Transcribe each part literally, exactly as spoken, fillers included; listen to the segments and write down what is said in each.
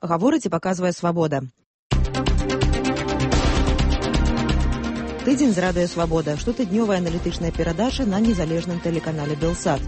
гаворыць і паказвае «Свабода». Тыдзень з радыё «Свабода» – штотыднёвая аналітычная перадача на незалежным тэлеканале «Белсат».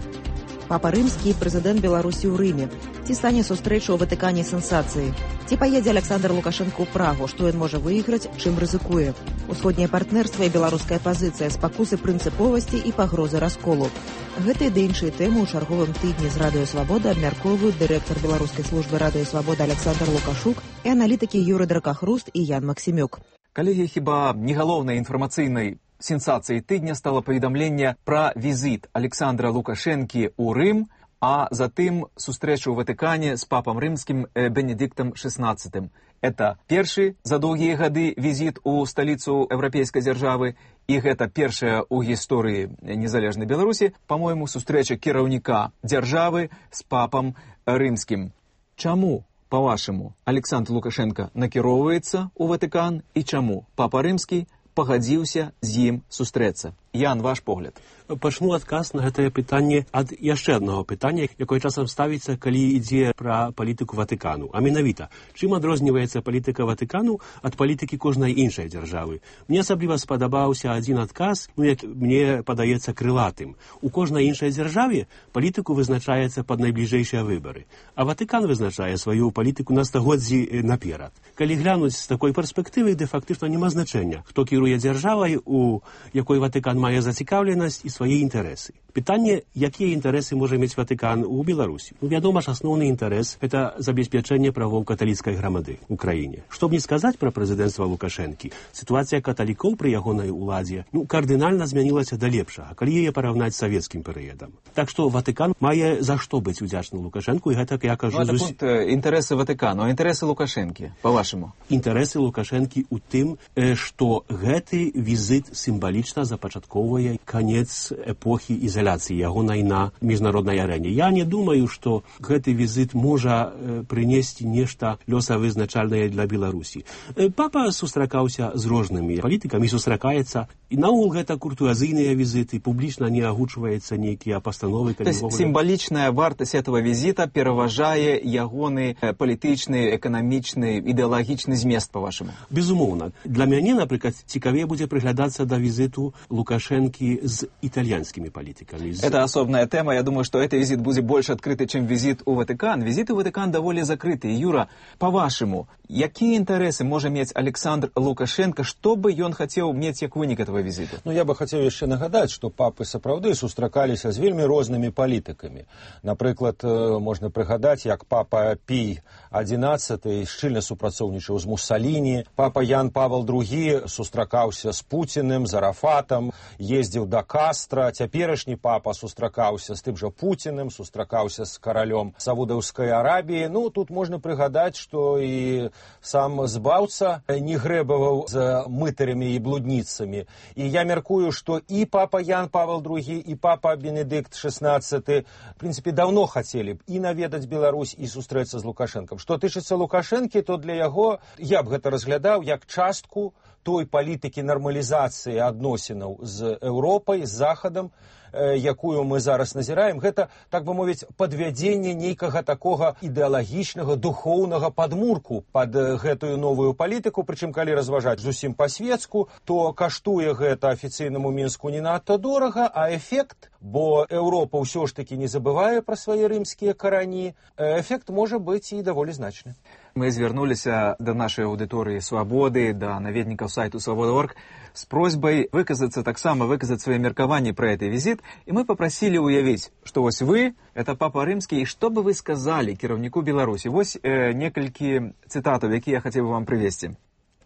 Папа Рымскі і прэзідэнт Беларусі ў Рыме. Ці стане сустрэча ў Ватыкане сенсацыяй? Ці паедзе Александр Лукашенко ў Прагу? Што ён можа выйграць, чым рызыкуе? Усходняе партнерства і беларуская пазіцыя, спакусы прынцыповасці і пагрозы расколу. Гэтыя ды іншыя тэмы ў чарговым тыдні з радыё «Свабода» абмяркоўваюць дырэктар беларускай службы радыё «Свабода» Александр Лукашук і аналітыкі Юры Дракахруст і Ян Максімюк. Калегі, хіба не галоўнай інфармацыйнай сенсацыяй тыдня стала паведамленне пра візіт Александра Лукашэнкі ў Рым, а затым сустрэчу ў Ватыкане з папам рымскім Бенедыктам шэснаццатым. Это першы за доўгія гады візіт у сталіцу еўрапейскай дзяржавы, і гэта першая ў гісторыі незалежнай Беларусі, па-мойму, сустрэча кіраўніка дзяржавы з папам рымскім. Чаму, па-вашаму, Александр Лукашенко накіроўваецца ў Ватыкан і чаму папа рымскі пагадзіўся з ім сустрэцца? Ян, ваш погляд. Пачну адказ на гэтае пытанне ад яшчэ аднаго пытання, якое часам ставіцца, калі ідзе пра палітыку Ватыкану. А менавіта, чым адрозніваецца палітыка Ватыкану ад палітыкі кожнай іншай дзяржавы? Мне асабліва спадабаўся адзін адказ, ну, як мне падаецца крылатым. У кожнай іншай дзяржаве палітыку вызначаецца пад найбліжэйшыя выбары, а Ватыкан вызначае сваю палітыку на стагоддзі наперад. Калі глянуць з такой перспектывы, де фактычна няма значэння, хто кіруе дзяржавай, у якой Ватыкан мае зацікаўленасць і свае інтарэсы. Пытанне, якія інтарэсы можа мець Ватыкан у Беларусі? Ну, вядома ж, асноўны інтарэс – гэта забеспячэнне правоў каталіцкай грамады ў краіне. Што б не сказаць пра прэзідэнцтва Лукашэнкі, сітуацыя каталікоў пры ягонай уладзе ну, кардынальна змянілася да лепшага, калі яе параўнаць з савецкім перыядам. Так што Ватыкан мае за што быць удзячным Лукашэнку, і гэта, я кажу... Ну, зус... інтарэсы Ватыкану, а інтарэсы Лукашэнкі, па-вашаму? Інтарэсы Лукашэнкі ў тым, што гэты візіт сімвалічна запачатковвае канец эпохі ізаляцыі ягонай на міжнароднай арэне. Я не думаю, што гэты візіт можа э, прынесці нешта лёсавызначальнае для Беларусі. Э, папа сустракаўся з рознымі палітыкамі, сустракаецца, і наогул гэта куртуазійныя візіты, публічна не агучваецца нейкія пастановы. То есть сімвалічная вартасць этого візіта пераважае ягоны палітычны, эканамічны, ідэалагічны змест, па-вашаму? Безумоўна. Для мяне, напрыклад, цікавей будзе прыглядацца да візіту Лукашэнкі з італьянскімі палітыкамі. Это особная тема. Я думаю, что этот визит будет больше открытый, чем визит у Ватикан. Визит у Ватикан довольно закрытый. Юра, по-вашему, какие интересы может иметь Александр Лукашенко, что бы он хотел иметь как вынік этого визита? Ну, я бы хотел еще нагадать, что папы сапраўды сустракаліся з вельмі рознымі палітыкамі. Напрыклад, можна прыгадаць, як папа Пій адзінаццаты шчыльна супрацоўнічаў з Муссаліні, папа Ян Павел другі сустракаўся з Пуціным, з Арафатам, ездзіў да Кастра, цяперашні папа сустракаўся з тым жа Пуціным, сустракаўся з каралём Саудаўскай Арабіі. Ну, тут можна прыгадаць, што і сам збаўца не грэбаваў з мытарамі і блудніцамі. І я мяркую, што і папа Ян Павел другі, і папа Бенедыкт шэснаццаты, в прынцыпе, даўно хацелі б і наведаць Беларусь, і сустрэцца з Лукашэнкам. Што тычыцца Лукашэнкі, то для яго я б гэта разглядаў як частку той палітыкі нармалізацыі адносінаў з Еўропай, з Захадам, якую мы зараз назіраем, гэта, так бы мовіць, падвядзенне нейкага такога ідэалагічнага, духоўнага падмурку пад гэтую новую палітыку, прычым, калі разважаць зусім па-светску, то каштуе гэта афіцыйнаму Мінску не надта дорага, а эфект, бо Еўропа ўсё ж такі не забывае пра свае рымскія карані, эфект можа быць і даволі значны. Мы звярнуліся да нашай аўдыторыі «Свабоды», да наведнікаў сайту «Свабода точка орг» с просьбой выказаться, таксама выказать свои меркаванні про этот визит, и мы попросили уявить, что вось вы, это папа рымскі, и что бы вы сказали кіраўніку Беларусі? Вось э, некалькі цытатаў, якія я хацеў бы вам прывесці.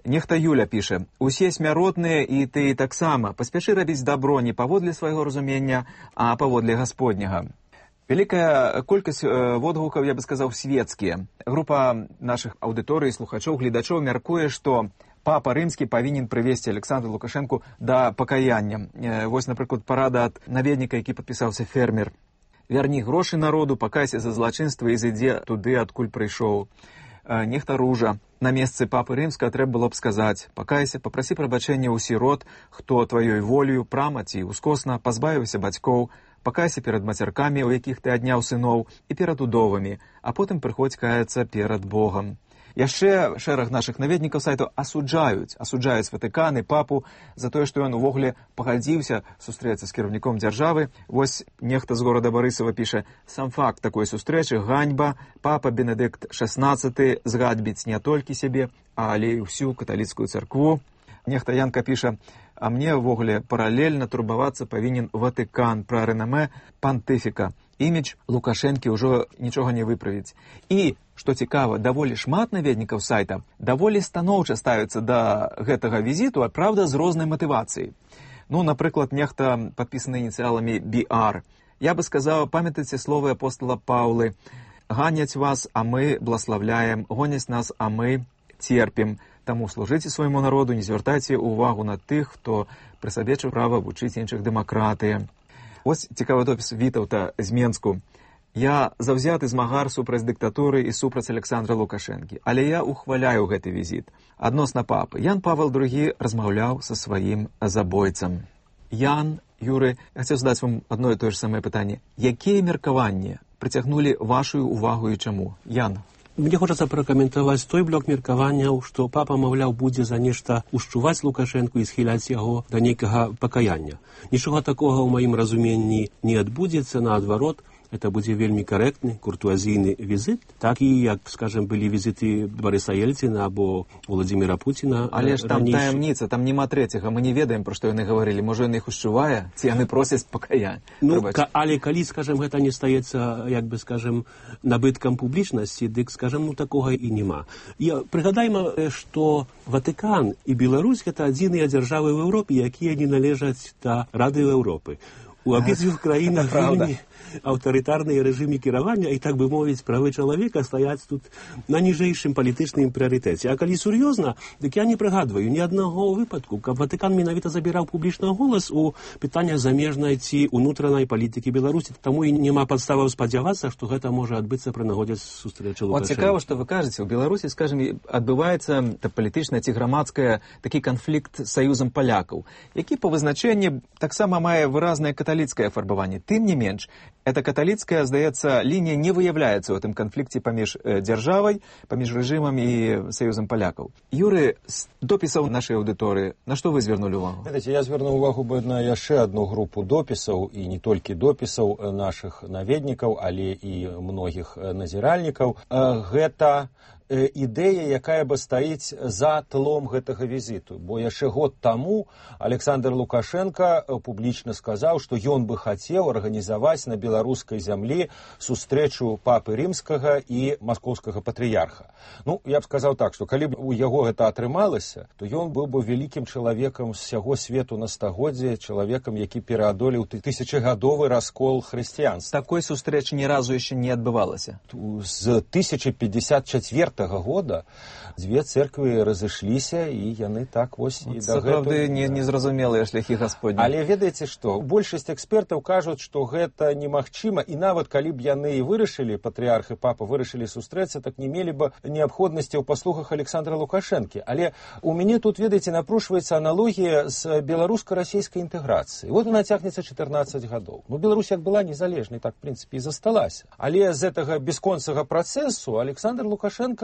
Нехта Юля піша: «Усе смяротныя, і ты таксама. Паспяшы рабіць дабро не паводле свайго разумення, а паводле Гасподняга». Вялікая колькасць водгукаў, я бы сказаў, светскія. Група нашых аўдыторый, слухачоў, гледачоў мяркуе, што папа рымскі павінен прывесці Александру Лукашэнку да пакаяння. Вось, напрыклад, парада ад наведніка, які падпісаўся «Фермер». «Вярні грошы народу, пакайся за злачынства і зайдзе туды, адкуль прыйшоў». Нехта Ружа: «На месцы папы рымскага трэба было б сказаць: пакайся, папрасі прабачэння ў сірот, хто тваёй волею, прама ці ўскосна пазбавіўся бацькоў, пакайся перад мацяркамі, у якіх ты адняў сыноў, і перад удовамі, а потым прыходзь каяцца перад Богам». Яшчэ шэраг нашых наведнікаў сайту асуджаюць, асуджаюць Ватыкан і папу за тое, што ён увогуле пагадзіўся сустрэцца з кіраўніком дзяржавы. Вось нехта з горада Барысава піша: «Сам факт такой сустрэчы – ганьба. Папа Бенедыкт шаснаццаты згадбіць не толькі сябе, але і ўсю каталіцкую царкву». Нехта Янка піша: «А мне ўвогуле паралельна турбавацца павінен Ватыкан пра рэнамэ пантыфіка. Імідж Лукашэнкі ўжо нічога не выправіць». І, што цікава, даволі шмат наведнікаў сайта даволі станоўча ставяцца да гэтага візіту, а правда, з рознай матывацыяй. Ну, напрыклад, нехта падпісаны ініцыяламі би ар. Я бы сказаў, памятайце словы апостола Паўлы: «Ганяць вас, а мы блаславляем, гоняць нас, а мы церпім. Таму служыце свайму народу, не звяртайце ўвагу на тых, хто прысабечыў права вучыць іншых дэмакратыі». Вось цікавы допіс Вітаўта з Менску. «Я заўзяты змагар супраць дыктатуры і супраць Александра Лукашэнкі, але я ухваляю гэты візіт. Адносна папы. Ян Павел другі размаўляў са сваім забойцам». Ян, Юры, я хацеў задаць вам адно і тое ж самае пытанне. Якія меркаванні прыцягнулі вашу увагу і чаму? Ян. Мне хочацца пракаментаваць той блок меркаванняў, што папа, маўляў, будзе за нешта ушчуваць Лукашэнку і схіляць яго да нейкага пакаяння. Нічога такога ў маім разуменні не адбудзецца, наадварот, это будзе вельмі карэктны, куртуазійны візіт, так і, як, скажем, былі візіты Барыса Ельціна або Владзіміра Пуціна. Але ж там таямніца, там няма трэцяга, мы не ведаем, пра што яны гаварылі. Можа, ён іх ушчувае, ці яны просяць пакаяння. Ну, але калі, скажем, гэта не стаецца, як бы, скажем, набыткам публічнасці, дык, скажем, ну, такога і няма. І прыгадайма, што Ватыкан і Беларусь — гэта адзіныя дзяржавы ў Еўропе, якія не належаць да Рады Еўропы. У абедзвюх краінах вельмі аўтарытарныя рэжымы кіравання, і, так бы мовіць, правы чалавека стаяць тут на ніжэйшым палітычным прыярытэце. А калі сур'ёзна, дык я не прыгадваю ні аднаго выпадку, каб Ватыкан менавіта забіраў публічна голас у пытаннях замежнай ці унутранай палітыкі Беларусі. Таму і няма падставаў спадзявацца, што гэта можа адбыцца пры нагодзе сустрэчы Лукашэнкі. Вот цікава, што вы кажаце, у Беларусі, скажем, адбываецца палітычная ці грамадская такі канфлікт з саюзам палякаў, які па вызначэнні таксама мае выразнае каталіцкае афарбаванне. Тым не менш, эта каталіцкая, здаецца, лінія не выяўляецца ў гэтым канфлікце паміж э, дзяржавай, паміж рэжымам і саюзам палякаў. Юры, з допісаў нашай аўдыторыі, на што вы звярнулі ўвагу? Ведаеце, я звярнуў увагу бы на яшчэ адну групу допісаў, і не толькі допісаў нашых наведнікаў, але і многіх назіральнікаў. Гэта ідэя, якая бы стаіць за тлом гэтага візіту. Бо яшчэ год таму Александр Лукашенко публічна сказаў, што ён бы хацеў арганізаваць на беларускай зямлі сустрэчу папы рымскага і маскоўскага патрыярха. Ну, я б сказаў так, што калі б у яго гэта атрымалася, то ён быў бы вялікім чалавекам з сяго свету на стагоддзе, чалавекам, які пераадолеў тысячагадовы раскол хрысціянства. Такой сустрэчы ні разу яшчэ не адбывалася. З тысяча пятьдесят четвёртого года дзве церквы разышліся, і яны так вось і да гэтага не, не зразумелыя шляхі Гасподні. Але ведаеце што, большасць экспертаў кажуць, што гэта немагчыма, і нават калі б яны і вырашылі, патрыярх і папа вырашылі сустрэцца, так не мелі бы неабходнасці ў паслугах Александра Лукашэнкі. Але у мяне тут, ведаеце, напрушваецца аналогія з беларуска-расійскай інтэграцыі. Вот она цягнецца чатырнаццаць гадоў. Ну, Беларусь як была незалежнай, так, в прынцыпе, і засталася. Але з гэтага бясконцага працэсу Александр Лукашенко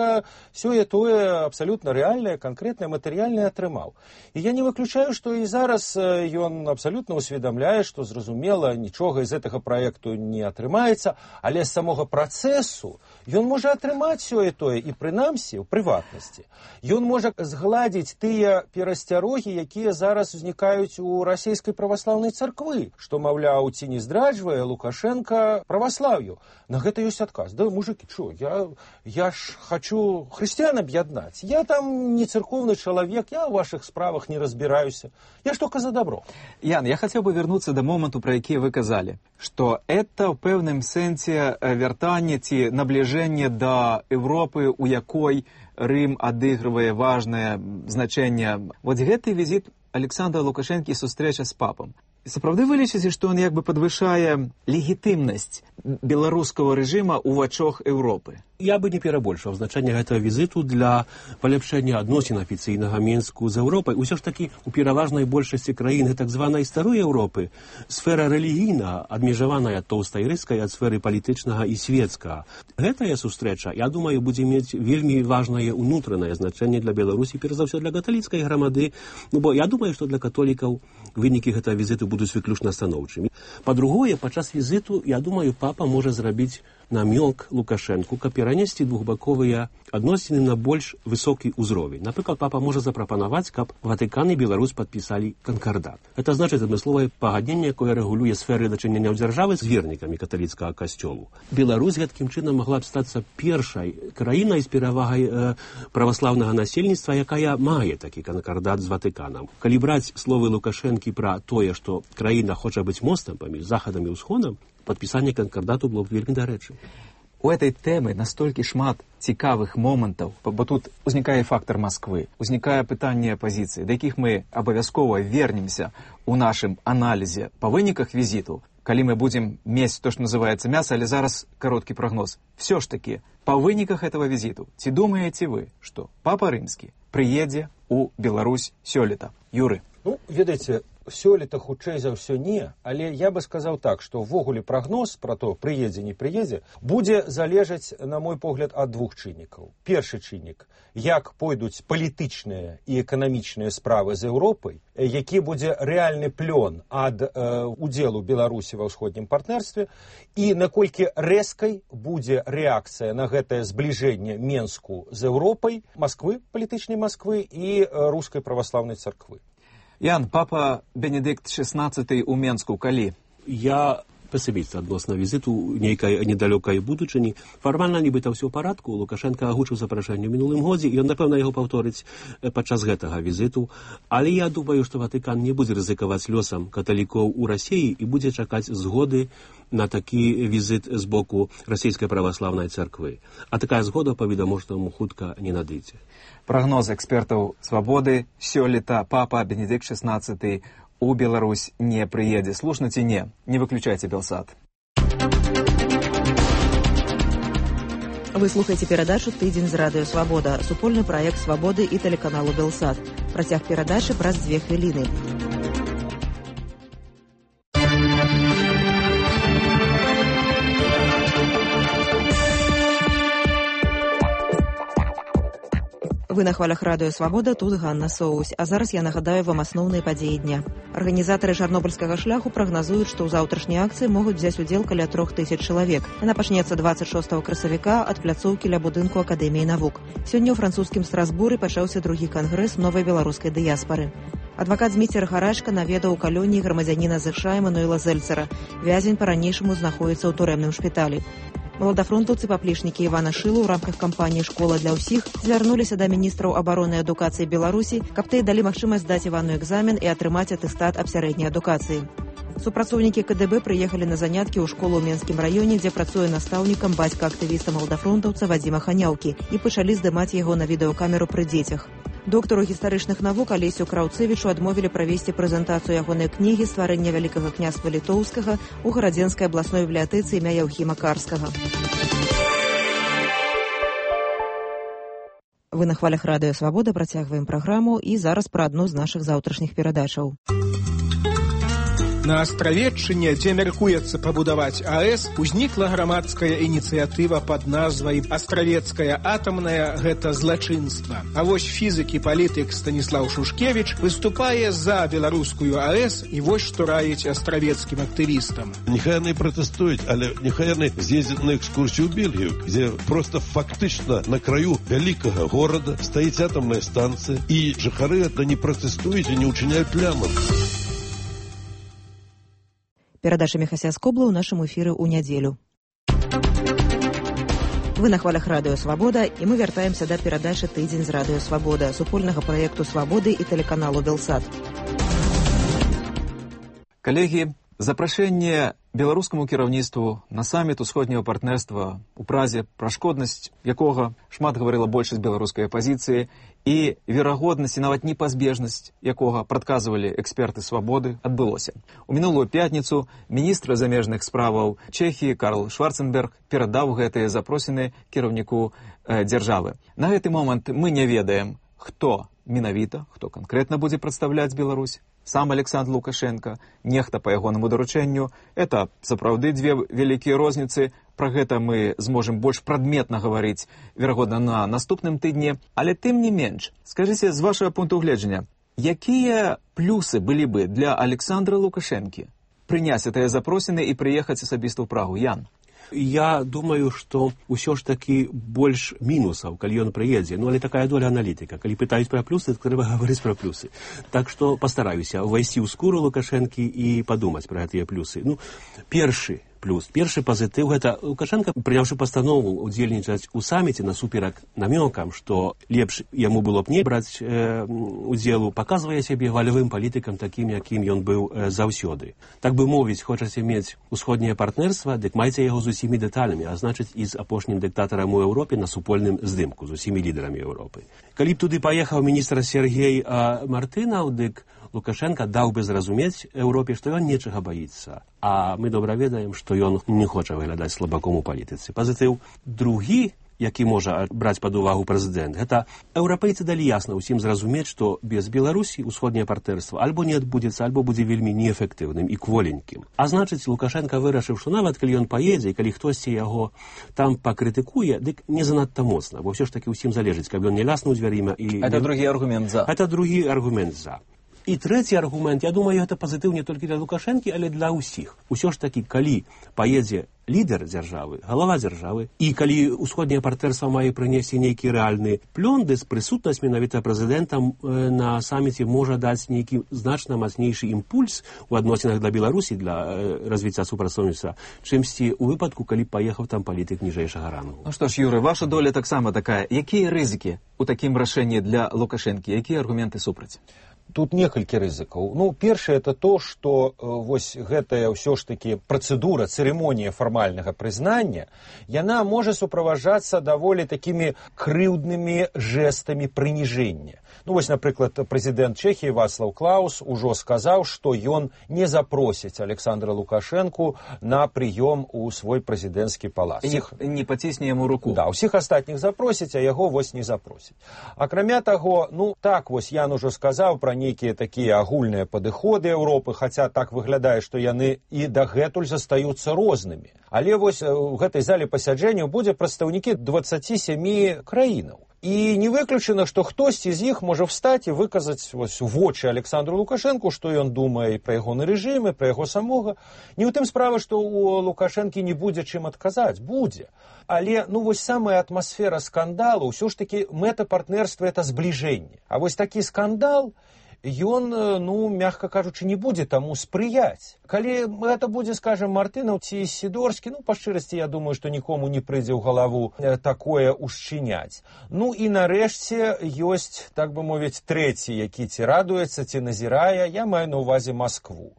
сёе-тое абсалютна рэальнае, канкрэтнае, матэрыяльнае атрымаў. І я не выключаю, што і зараз ён абсалютна усведамляе, што, зразумела, нічога з гэтага праекту не атрымаецца, але з самога працэсу ён можа атрымаць сёе-тое і, прынамсі, у прыватнасці. Ён можа згладзіць тыя перасцярогі, якія зараз узнікаюць у расійскай праваслаўнай царквы, што, маўляў, ці не здраджвае Лукашенко праваслаўю. На гэта ёсць адказ. Да, мужыкі, чо, я, я ж хочу хрысціян аб'яднаць. Я там не церковны чалавек, я ў вашых справах не разбіраюся. Я ж только за добро. Ян, я хацеў бы вярнуцца да моманту, пра які вы казалі, што это ў пэўным сэнсе вяртанне ці набліжэнне да Европы, у якой Рым адыгрывае важнае значэнне. Вот гэты візіт Александра Лукашэнкі і сустрэча з папам. Сапраўды вы лічыце, што ён як бы падвышае легітымнасць беларускага рэжыма ў вачах Еўропы? Я бы не перабольшваў значэнне гэтага візіту для паляпшэння адносін афіцыйнага Мінску з Еўропай. Усё ж такі у пераважнай большасці краін так званай старой Еўропы сфера рэлігійна адмежаваная тоўстай рыскай ад сферы палітычнага і светскага. Гэтая сустрэча, я думаю, будзе мець вельмі важнае унутранае значэнне для Беларусі, перш за ўсё для каталіцкай грамады, ну бо я думаю, што для католікаў вынікі гэтага візіту будуць выключна станоўчымі. Па-другое, падчас візіту, я думаю, папа можа зрабіць намёк Лукашэнку, каб перанесці двухбаковыя адносіны на больш высокі ўзровень. Напрыклад, папа можа запрапанаваць, каб Ватыкан і Беларусь падпісалі канкардат. Это значыць адмысловае пагадненне, якое рэгулюе сферы дачынення дзяржавы з вернікамі каталіцкага касцёлу. Беларусь гэткім чынам магла б стацца першай краінай з перавагай э, праваслаўнага насельніцтва, якая мае такі канкардат з Ватыканам. Калі браць словы Лукашэнкі пра тое, што краіна хоча быць мостам паміж захадам і ўсходам, падпісанне канкардату было б вельмі дарэчы. У этой тэмы настолькі шмат цікавых момантаў, бо тут узнікае фактор Масквы, узнікае пытанне апазіцыі, да якіх мы абавязкова вернемся у нашым аналізе па выніках візіту, калі мы будзем мець то, што называецца мяса, але зараз кароткі прагноз. Все ж таки, па выніках этого візіту, ці думаеце вы, што папа рымскі прыедзе у Беларусь сёлета? Юры. Ну, ведаеце, сёлета хутчэй за ўсё не, але я бы сказаў так, што ўвогуле прагноз пра то, прыедзе, не прыедзе, будзе залежаць, на мой погляд, ад двух чыннікаў. Першы чыннік, як пойдуць палітычныя і эканамічныя справы з Еўропай, які будзе рэальны плён ад э, удзелу Беларусі ва ўсходнім партнерстве, і наколькі рэзкай будзе рэакцыя на гэтае збліжэнне Менску з Еўропай, Масквы, палітычнай Масквы і э, рускай праваслаўнай царквы. Ян, папа Бенедыкт шестнадцаты ў Менску калі? Я песіміст адносна візіту нейкай недалёкай будучыні. Фармальна нібыта ўсё ў парадку. Лукашенко агучыў запрашэнне ў мінулым годзе, і ён, напэўна, яго паўторыць падчас гэтага візіту. Але я думаю, што Ватыкан не будзе рызыкаваць лёсам каталікоў у Расіі і будзе чакаць згоды на такі візіт з боку расійскай праваслаўнай царквы. А такая згода, па-відавочнаму, хутка не надыдзе. Прогноз экспертаў «Свабоды» сёлета папа Бенедыкт шестнадцаты у Беларусь не прыедзе. Слушна ці не? Не выключайце Белсат. Вы слухаеце перадачу «Тыдзень з радыё Свабода», супольны праект «Свабоды» і тэлеканалу «Белсат». Працяг перадачы праз дзве хвіліны. Вы на хвалях радыё «Свабода», тут Ганна Соусь. А зараз я нагадаю вам асноўныя падзеі дня. Арганізатары чарнобыльскага шляху прагназуюць, што ў заўтрашняй акцыі могуць взяць удзел каля трох тысяч чалавек. Яна пачнецца дваццаць шостага красавіка ад пляцоўкі ля будынку Акадэміі навук. Сёння ў французскім Страсбуры пачаўся другі кангрэс новай беларускай дыяспары. Адвакат Зміцер Гарачка наведаў у калоніі грамадзяніна ЗША Эмануэла Зельцера. Вязень па-ранейшаму знаходзіцца ў турэмным шпіталі. Маладафронтаўцы паплечнікі Івана Шылу ў рамках кампаніі «Школа для ўсіх» звярнуліся да міністраў абароны і адукацыі Беларусі, каб тыя далі магчымасць здаць Івану экзамен і атрымаць атэстат аб сярэдняй адукацыі. Супрацоўнікі КДБ прыехалі на заняткі ў школу ў Менскім раёне, дзе працуе настаўнікам бацька актывіста маладафронтаўца Вадзіма Ханяўкі, і пачалі здымаць яго на відэакамеру пры дзецях. Доктару гістарычных навук Алесю Краўцэвічу адмовілі правесці прэзентацыю ягонай кнігі «Стварэнне вялікага княства літоўскага» у Гарадзенскай абласной бібліятэцы імя Яўхіма Карскага. Вы на хвалях радыё «Свабода», працягваем праграму, і зараз пра адну з нашых заўтрашніх перадачаў. На Астравеччыне, дзе мяркуецца пабудаваць АЭС, узнікла грамадская ініцыятыва пад назвай «Астравецкая атамная – гэта злачынства». А вось фізык і палітык Станіслаў Шушкевіч выступае за беларускую АЭС, і вось што раіць астравецкім актывістам. Нехай яны пратэстуюць, але нехай яны з'ездзяць на экскурсію ў Бельгію, дзе проста фактычна на краю вялікага горада стаіць атамная станцыя, і жыхары гэта не пратэстуюць і не ўчыняюць плямам. Перадача Міхася Скобла ў нашым эфіры ў нядзелю. Вы на хвалях радыё «Свабода», і мы вяртаемся да перадачы «Тыдзень з радыё Свабода», супольнага праекту «Свабоды» і тэлеканалу «Белсат». Калегі, запрашэнне беларускаму кіраўніцтву на саміт усходняга партнерства у Празе, пра шкоднасць якога шмат гаварыла большасць беларускай апазіцыі і верагоднасць і нават непазбежнасць якога прадказвалі эксперты свабоды, адбылося. У мінулую пятніцу міністр замежных справаў Чэхіі Карл Шварценберг перадаў гэтыя запросіны кіраўніку э, дзяржавы. На гэты момант мы не ведаем, хто менавіта, хто канкрэтна будзе прадстаўляць Беларусь. Сам Александр Лукашенко, нехта па ягонаму даручэнню. Это сапраўды дзве вялікія розніцы. Пра гэта мы зможам больш прадметна гаварыць, верагодна, на наступным тыдні. Але тым не менш, скажыце, з вашага пункту гледжання, якія плюсы былі бы для Александра Лукашэнкі прыняць гэтыя запросіны і прыехаць асабіста ў Прагу? Ян? Я думаю, што ўсё ж такі больш мінусаў, калі ён прыедзе. Ну, але такая доля аналітыка. Калі пытаюць пра плюсы, то трэба гаварыць пра плюсы. Так што пастараюся ўвайсці ў скуру Лукашэнкі і падумаць пра гэтыя плюсы. Ну, першы плюс, першы пазітыў — гэта Лукашенко, прыняўшы пастанову удзельнічаць у саміце насуперак намёкам, што лепш яму было б не браць э, удзелу, паказвае сябе валявым палітыкам такім, якім ён быў э, заўсёды. Так бы мовіць, хочаце мець усходняе партнерства, дык майце яго з усімі дэталямі, а значыць і з апошнім дыктатарам у Еўропе на супольным здымку, з усімі лідарамі Еўропы. Калі б туды паехаў міністр Сергей а, Мартынаў, дык Лукашенко даў бы зразумець Еўропе, што ён нечага баіцца. А мы добра ведаем, што ён не хоча выглядаць слабаком у палітыцы. Пазітыў другі, які можа браць пад увагу прэзідэнт, гэта еўрапейцы далі ясна ўсім зразумець, што без Беларусі ўсходняе партнерства альбо не адбудзецца, альбо будзе вельмі неэфектыўным і кволенькім. А значыць, Лукашенко вырашыў, што нават калі ён паедзе, і калі хтосьці яго там пакрытыкуе, дык не занадта моцна, бо ўсё ж такі ўсім залежыць, каб ён не ляснуў дзвярыма. І... Это другі аргумент за. Это другі аргумент за. І трэці аргумент, я думаю, гэта пазітыў не толькі для Лукашэнкі, але для ўсіх. Усё ж такі, калі паедзе лідар дзяржавы, галава дзяржавы, і калі ўсходняе партнерства мае прынесці нейкі рэальны плён, дык прысутнасць менавіта прэзідэнтам э, на саміце можа даць нейкі значна мацнейшы імпульс у адносінах для Беларусі, для э, развіцця супрацоўніцтва, чымсьці ў выпадку, калі паехаў там палітык ніжэйшага рангу. Ну што ж, Юры, ваша доля таксама такая. Якія рызыкі ў такім рашэнні для Лукашэнкі? Якія аргументы супраць? Тут некалькі рызыкаў. Ну, першае, это то, што э, вось гэтая ўсё ж такі працэдура, цырымонія фармальнага прызнання, яна можа суправаджацца даволі такімі крыўднымі жэстамі прыніжэння. Ну, вось, напрыклад, прэзідэнт Чэхіі Вацлаў Клаус ужо сказаў, што ён не запросіць Александра Лукашэнку на прыём у свой прэзідэнцкі палац. І не пацісне яму руку. Да, усіх астатніх запросіць, а яго вось не запросіць. Акрамя таго, ну, так вось Ян ужо сказаў пра нейкія такія агульныя падыходы Еўропы, хаця так выглядае, што яны і дагэтуль застаюцца рознымі. Але вось у гэтай зале пасяджэнняў будзе прадстаўнікі дваццаці сямі краінаў. І не выключана, што хтосьці з іх можа встаць і выказаць вось у вочы Александру Лукашэнку, што ён думае пра ягоны рэжым, пра яго самога. Не ў тым справа, што у Лукашэнкі не будзе чым адказаць. Будзе. Але, ну, вось самая атмасфера скандалу, ўсё ж такі мэта партнерства — это збліжэнне. А вось такі скандал, ён, ну, мягка кажучы, не будзе таму спрыяць. Калі гэта будзе, скажем, Мартынаў ці Сідорскі, ну, па шчырасці, я думаю, што нікому не прыйдзе ў галаву такое ушчыняць. Ну, і нарэшце ёсць, так бы мовіць, трэці, які ці радуецца, ці назірае, я маю на ўвазе Маскву.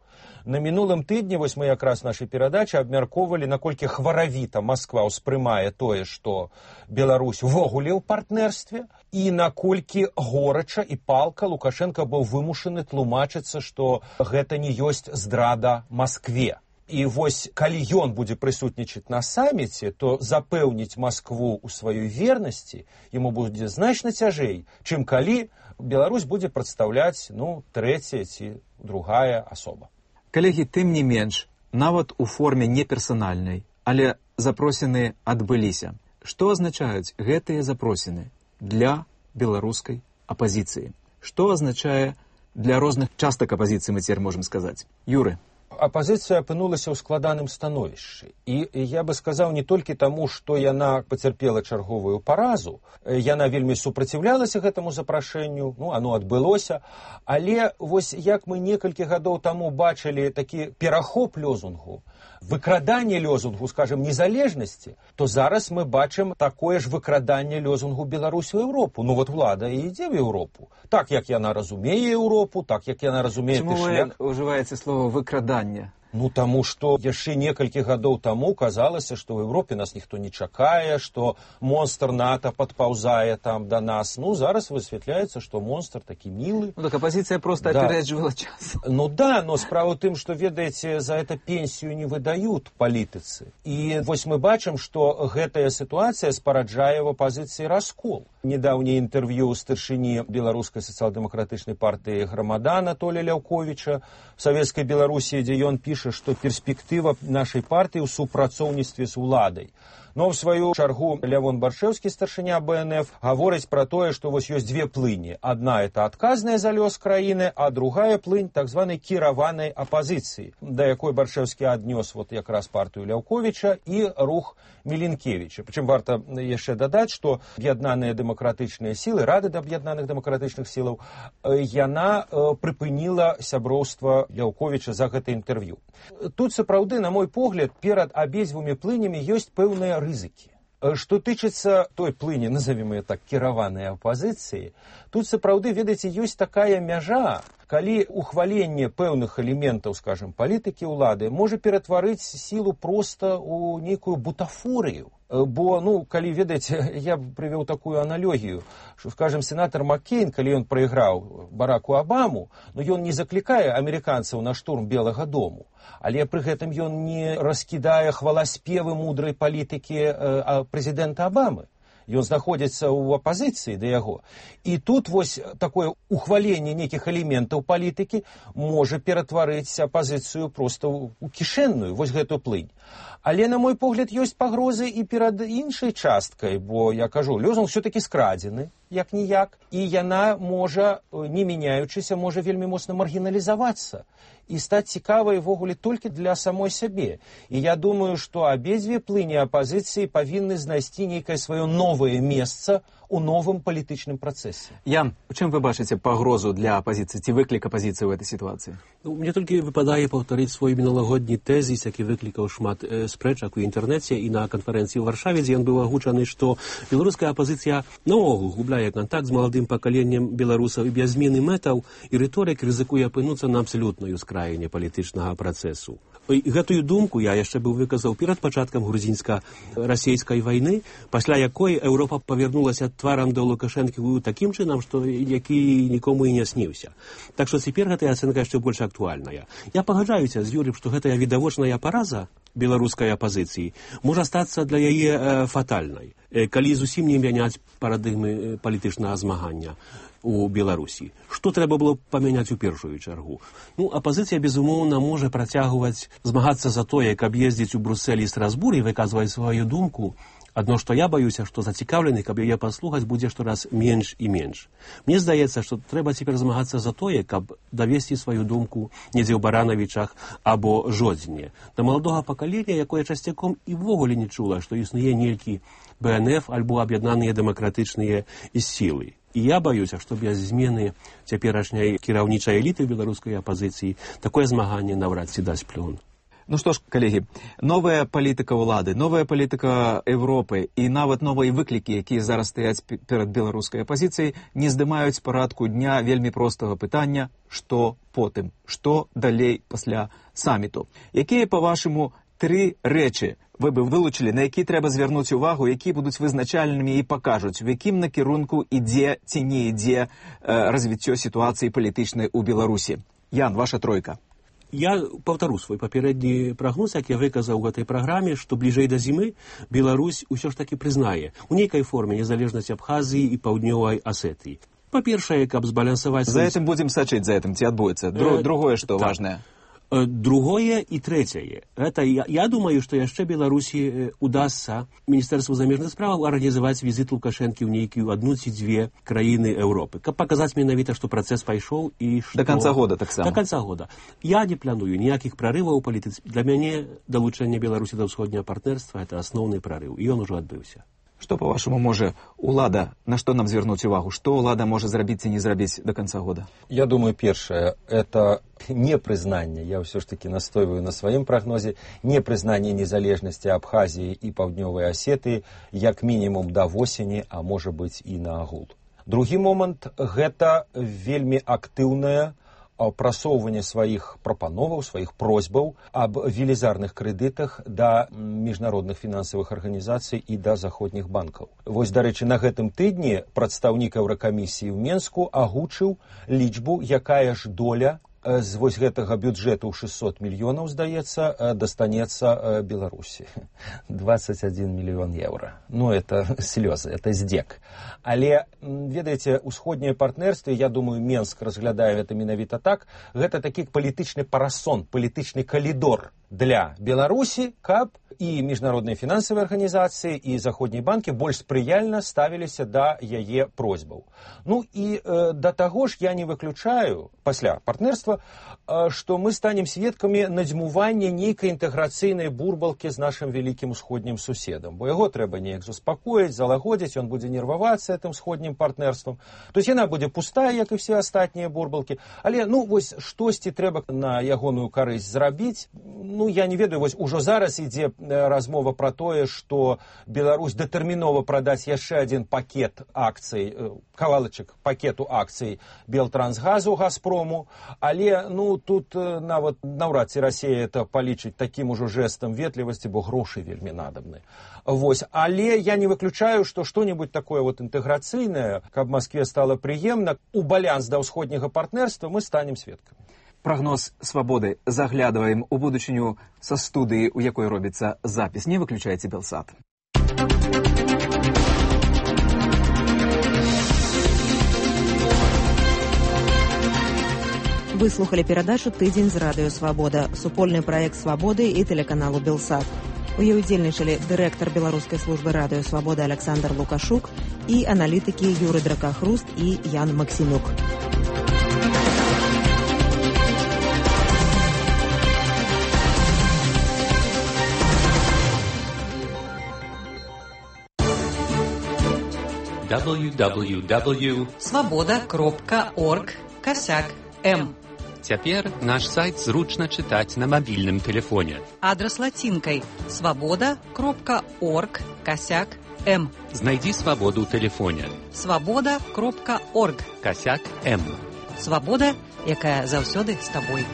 На мінулым тыдні, вось мы якраз нашай перадачы абмяркоўвалі, наколькі хваравіта Масква ўспрымае тое, што Беларусь увогуле ў партнерстве, і наколькі горача і палка Лукашенко быў вымушаны тлумачыцца, што гэта не ёсць здрада Маскве. І вось, калі ён будзе прысутнічаць на саміце, то запэўніць Маскву ў сваёй вернасці яму будзе значна цяжэй, чым калі Беларусь будзе прадстаўляць, ну, трэцяя ці другая асоба. Калегі, тым не менш, нават у форме неперсанальнай, але запросіны адбыліся. Што азначаюць гэтыя запросіны для беларускай апазіцыі? Што азначае для розных частак апазіцыі, мы цяпер можам сказаць? Юры. Апазіцыя апынулася ў складаным становішчы. І я бы сказаў не толькі таму, што яна пацярпела чарговую паразу, яна вельмі супраціўлялася гэтаму запрашэнню, ну, оно адбылося, але вось як мы некалькі гадоў таму бачылі такі перахоп лёзунгу, выкраданне лёзунгу, скажем, незалежнасці, то зараз мы бачым такое ж выкраданне лёзунгу Беларусь у Еўропу. Ну вот ўлада і ідзе в Еўропу. Так, як яна разумее Еўропу, так, як яна разумее... Чаму вы ўжываеце слово «выкрадання»? Ну, таму, што яшчэ некалькі гадоў таму казалася, што ў Еўропе нас ніхто не чакае, што монстр НАТО падпаўзае там да нас. Ну, зараз высвятляецца, што монстр такі мілы. Ну, так апозіцыя проста да. апереджвала час. Ну, да, но справа ў тым, што, ведаеце, за это пенсію не выдаюць палітыцы. І вось мы бачым, што гэтая сітуацыя спараджае в апозіцыі раскол. Недаўняе інтэрв'ю старшыні беларускай сацыял-дэмакратычнай партыі Грамада Анатолія Ляўковіча в Савецкай Беларусі, дзе ён піша, што перспектыва нашай партыі ў супрацоўніцтве з уладай. Но в сваю чаргу Лявон Баршэўскі, старшыня Бэ Эн Эф, гаворыць пра тое, што вось ёсць две плыні. Адна — это адказная за лёс краіны, а другая плынь так званай кіраванай апазіцыі, да якой Баршэўскі аднёс вот якраз партыю Ляўковіча і рух Мілінкевіча. Прычым варта яшчэ дадаць, што аб'яднаныя дэмакратычныя сілы, Рада аб'яднаных дэмакратычных сілаў, яна прыпыніла сяброўства Ляўковіча за гэта інтэрв'ю. Тут сапраўды, на мой погляд, перад абедзвюмі плынямі ёсць пэўныя рызыкі. Што тычыцца той плыні, назовем ее так, кіраванай апазіцыі, тут сапраўды, ведаеце, ёсць такая мяжа, калі ухваленне пэўных элементаў, скажем, палітыкі ўлады можа ператварыць сілу проста ў нейкую бутафорыю. Бо, ну, калі, ведаеце, я прывёў такую аналогію, што, скажем, сенатор Маккейн, калі ён прайграў Бараку Абаму, ну, ён не заклікае амерыканцаў на штурм Белага дому, але пры гэтым ён не раскідае хваласпевы мудрай палітыкі э, прэзідэнта Абамы. Ён знаходзіцца ў апазіцыі да яго. І тут вось такое ухваленне нейкіх элементаў палітыкі можа ператварыць апазіцыю проста ў кішэнную, вось гэтую плынь. Але, на мой погляд, ёсць пагрозы і перад іншай часткай, бо, я кажу, лозунг все-таки скрадзены, як-ніяк, і яна можа, не мяняючыся, можа вельмі моцна маргіналізавацца і стаць цікавай ввогуле толькі для самой сябе. І я думаю, што абедзве плыні апазіцыі павінны знайсці нейкае сваё новае месца у новым палітычным працэсе. Ян, у чым вы бачыце пагрозу для апозіцыі, ці выклік апозіцыі ў этой сітуацыі? Ну, мне толькі выпадае паўтарыць свой міналагодні тэзіс, які выклікаў шмат э, спрэчак у інтэрнэце і на канферэнцыі ў Варшаве, дзе ён быў агучаны, што беларуская апозіцыя наогул губляе кантакт з маладым пакаленнем беларусаў і без змены мэтаў і рыторык рызыкуе апынуцца на абсалютнай ускраіне палітычнага працэсу. І гэтую думку я яшчэ быў выказаў перад пачаткам грузінска-расейскай вайны, пасля якой Еўропа павярнулася тварам да Лукашэнкі такім чынам, што які нікому і не сніўся. Так што цяпер гэтая ацэнка яшчэ больш актуальная. Я пагаджаюся з Юрыем, што гэтая відавочная параза беларускай апазіцыі можа стацца для яе э, фатальнай, э, калі зусім не мяняць парадыгмы палітычнага змагання у Беларусі. Што трэба было памяняць у першую чаргу? Ну, апазіцыя, безумоўна, можа працягваць змагацца за тое, каб ездзіць у Бруссель і Страсбур і выказваць сваю думку. Адно, што я баюся, што зацікаўлены, каб яе паслухаць, будзе штораз менш і менш. Мне здаецца, што трэба цяпер змагацца за тое, каб давесці сваю думку недзе ў Баранавічах або Жодзіне. Да маладога пакалення, якое часцяком і ввогуле не чула, што існуе нейкі Бэ Эн Эф альбо аб'яднаныя дэмакратычныя сілы. І я баюся, што без змены цяперашняй кіраўнічай эліты беларускай апазіцыі такое змаганне наўрад ці дасць плён. Ну што ж, калегі, новая палітыка ўлады, новая палітыка Европы і нават новыя выклікі, якія зараз стаяць перад беларускай апазіцыяй, не здымаюць парадку дня вельмі простага пытання, што потым, што далей пасля саміту. Якія, па-вашаму, тры рэчы вы бы вылучылі, на які трэба звярнуць увагу, які будуць вызначальнымі і пакажуць, у якім накірунку ідзе ці не ідзе э, развіццё сітуацыі палітычнай у Беларусі? Ян, ваша тройка. Я паўтару свой папярэдні прагноз, як я выказаў у гэтай праграме, што бліжэй да зімы Беларусь усё ж такі прызнае у нейкай форме незалежнасць Абхазіі і Паўднёвай Асетыі. Па-першае, каб збалансаваць... За этим будзем сачыць, за этим ці адбудзецца. Дру, другое, што так. Важнае. Другое і трэцяе. Это, я, я думаю, што яшчэ Беларусі удасца Міністэрству замежных справаў арганізаваць візіт Лукашэнкі ў нейкую адну ці дзве краіны Еўропы, каб паказаць менавіта, што працэс пайшоў і што... Да канца года таксама. Да канца года. Я не планую ніякіх прарываў у палітыцы. Для мяне далучэнне Беларусі да ўсходняга партнерства — это асноўны прарыў, і ён ужо адбыўся. Што, па-вашаму, можа улада, на што нам звярнуць увагу? Што ўлада можа зрабіць ці не зрабіць да канца года? Я думаю, першае, это непрызнанне, я ўсё ж таки настойваю на сваім прагнозе, непрызнанне незалежнасці Абхазіі і Паўднёвай Асетыі як мінімум да восені, а можа быць і на агул. Другі момант — гэта вельмі актыўная прасоўвання сваіх прапановаў, сваіх просьбаў аб велізарных крэдытах да міжнародных фінансавых арганізацый і да заходніх банкаў. Вось, дарэчы, на гэтым тыдні прадстаўнік Еўракамісіі ў Менску агучыў лічбу, якая ж доля з вось гэтага бюджэту ў шэсцьсот мільёнаў, здаецца, дастанецца Беларусі. двадцать один мільён еўра. Ну, это слёзы, это здзек. Але, ведаеце, усходняе партнерство, я думаю, Менск разглядае гэта менавіта так, гэта такі палітычны парасон, палітычны калідор для Беларусі, каб і міжнародныя фінансавыя арганізацыі, і заходнія банкі больш спрыяльна ставіліся да яе просьбаў. Ну і э, да таго ж я не выключаю, пасля партнерства, э, што мы станем сведкамі надзьмування нейкай інтэграцыйнай бурбалкі з нашым вялікім усходнім суседам. Бо яго трэба неяк заспакоіць, залагодзіць, ён будзе нервавацца гэтым усходнім партнерствам. То есть яна будзе пустая, як і все астатнія бурбалкі. Але, ну, вось штосьці трэба на ягоную карысць зрабіць. Ну, я не ведаю, вось ужо зараз ідзе размова пра тое, што Беларусь датэрмінова прадаць яшчэ адзін пакет акцый, кавалачак пакету акцый Белтрансгазу, Газпрому, але, ну, тут нават наўрад ці Расія это палічыць такім ужо жэстам ветлівасці, бо грошы вельмі надобны. Вось, але я не выключаю, што што-небудзь такое вот інтэграцыйнае, каб Маскве стала прыемна, у балянс да ўсходняга партнерства мы станем сведкамі. Прогноз свободы. Заглядываем у будучыню со студыі, у якой робіцца запіс. Не выключайте Белсат. Вы слухали перадачу «Тыдзень з радыё Свабода», супольны праект «Свабоды» і тэлеканалу «Белсат». У ёй удзельнічалі дырэктар беларускай службы радыё Свабода Александр Лукашук і аналітыкі Юры Дракахруст і Ян Максімюк. дабл ю дабл ю дабл ю крапка свобода крапка орг косяк м. Цяпер наш сайт зручна чытаць на мабільным тэлефоне. Адрас лацінкай свобода крапка орг косяк м. Знайдзі свабоду ў тэлефоне. свобода крапка орг косяк м. Свабода, якая заўсёды з табой.